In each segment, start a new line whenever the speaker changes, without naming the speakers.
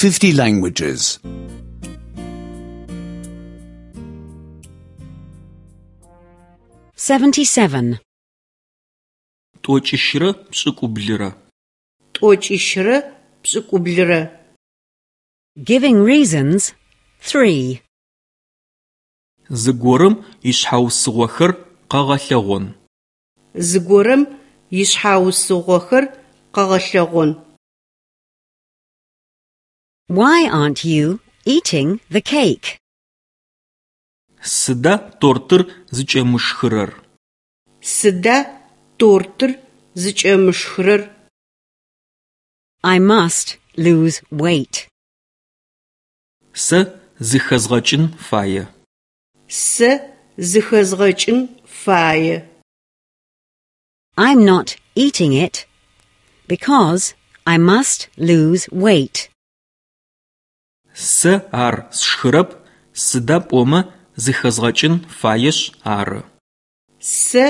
50 languages.
77.
Тӏокӏищырэ пшӏыкӏублырэ.
Тӏокӏищырэ пшӏыкӏублырэ.
Giving reasons 3.
Зыгорэм ишъхьаусыгъохэр къэгъэлъэгъон.
Зыгорэм ишъхьаусыгъохэр къэгъэлъэгъон.
Why aren't you eating the cake?
Сыда тортыр зыкӏэмышхырэр?
Сыда тортыр зыкӏэмышхырэр?
I must lose weight.
Сэ зыхэзгъэкӏын фае.
Сэ зыхэзгъэкӏын фае.
I'm not eating it because I must lose weight.
Сэ ар сшхырэп, сыда пӏомэ зыхэзгъэкӏын фаешъ ары.
Сэ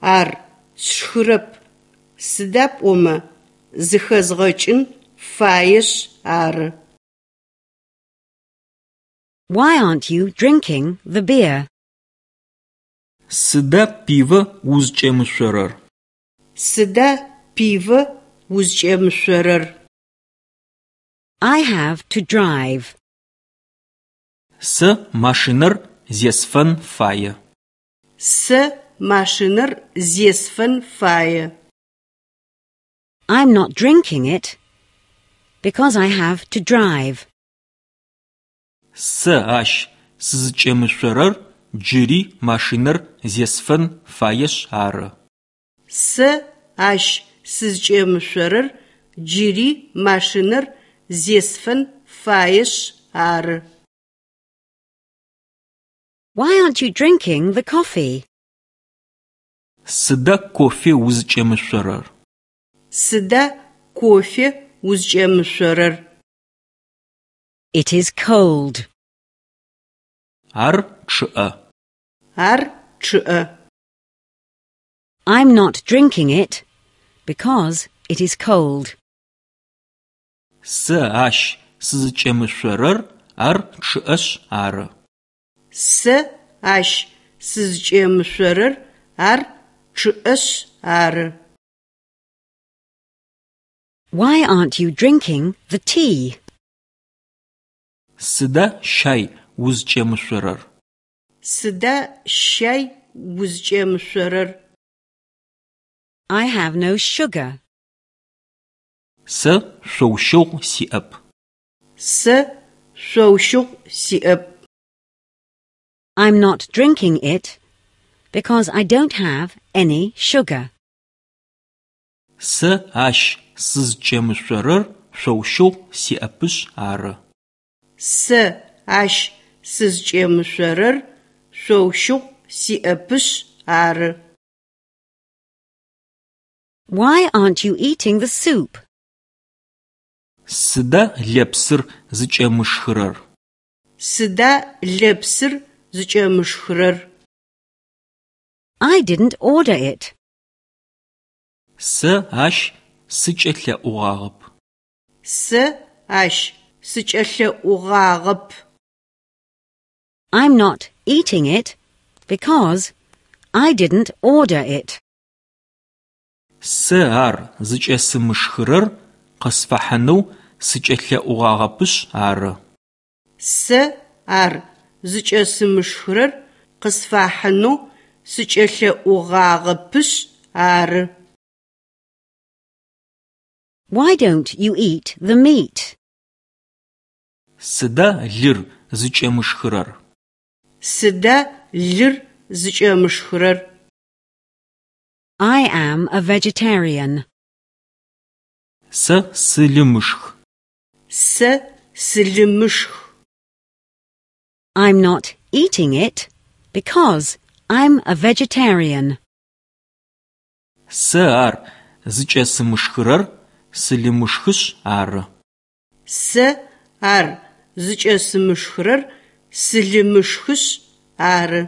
ар сшхырэп, сыда пӏомэ зыхэзгъэкӏын фаешъ ары.
Why aren't you drinking the beer?
Сыда пивэ узкӏемышъорэр?
Сыда пивэ узкӏемышъорэр?
I have to drive.
Сэ машинэр зесфэн фае.
Сэ машинэр зесфэн фае.
I'm not drinking it because I have to drive.
Сэ ащ сызкӏемышъорэр джыри машинэр зесфэн фаешъ ары.
Сэ ащ сызкӏемышъорэр джыри машинэр зесфэн фаешъ ары.
Why aren't you drinking the coffee?
Сыда кофе узкӏемышъорэр?
Сыда кофе узкӏемышъорэр?
It is cold.
Ар чъыӏэ.
Ар чъыӏэ.
I'm not drinking it because it is cold.
Сэ ащ сызкӏемышъорэр ар чъыӏэшъ ары.
Сэ ащ сызкӏемышъорэр ар чъыӏэшъ ары.
Why aren't you drinking the tea?
Сыда щай узкӏемышъорэр?
Сыда щай узкӏемышъорэр?
I have no sugar.
Сэ шъоущыгъу сиӏэп.
Сэ шъоущыгъу сиӏэп.
I'm not drinking it because I don't have any sugar.
Сэ ащ сызкӏемышъорэр шъоущыгъу сиӏэпышъ ары.
Сэ ащ сызкӏемышъорэр шъоущыгъу сиӏэпышъ ары.
Why aren't you eating the soup?
Сыда лэпсыр зыкӏэмышхырэр?
Сыда лэпсыр зыкӏэмышхырэр?
I didn't order it.
Сэ ащ сыкӏэлъэӏугъагъэп.
Сэ ащ сыкӏэлъэӏугъагъэп.
I'm not eating it because I didn't order it.
Сэ ар зыкӏэсымышхырэр къысфахьынэу сыкӏэлъэӏугъагъэпышъ ары.
Сэ ар зыкӏэсымышхырэр къысфахьынэу сыкӏэлъэӏугъагъэпышъ ары.
Why don't you eat the meat?
Сыда лыр зыкӏэмышхырэр?
Сыда лыр зыкӏэмышхырэр?
I am a vegetarian.
Сэ сылымышх.
Сэ сылымышх.
I'm not eating it because I'm a vegetarian.
Сэ ар зыкӏэсымышхырэр сылымышхышъ ары.
Сэ ар зыкӏэсымышхырэр сылымышхышъ ары.